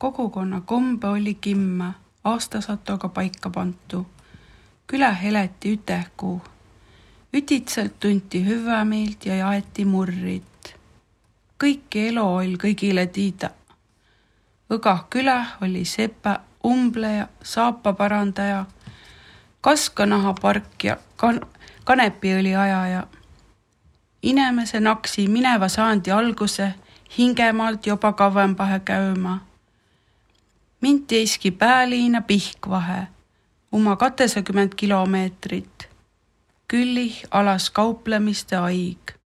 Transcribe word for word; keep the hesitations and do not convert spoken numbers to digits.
Kogukonna kombe oli kimma, aastasatoga paika pantu. Külä heleti ütehkuu. Ütitselt tunti hüvämeelt ja jaeti murrit. Kõiki elo oli kõigile tiida. Õgah külä oli sepä, umbleja, saapaparandaja, kaskanahapark ja kan- kanepiõli ajaja. Inemese naksi mineva saandi alguse hingemaalt jopa kauempahe käymä. Mind teiski pääliina Pihkvahe, uma katesekümmend kilomeetrit. Küllih alas kauplemiste aig.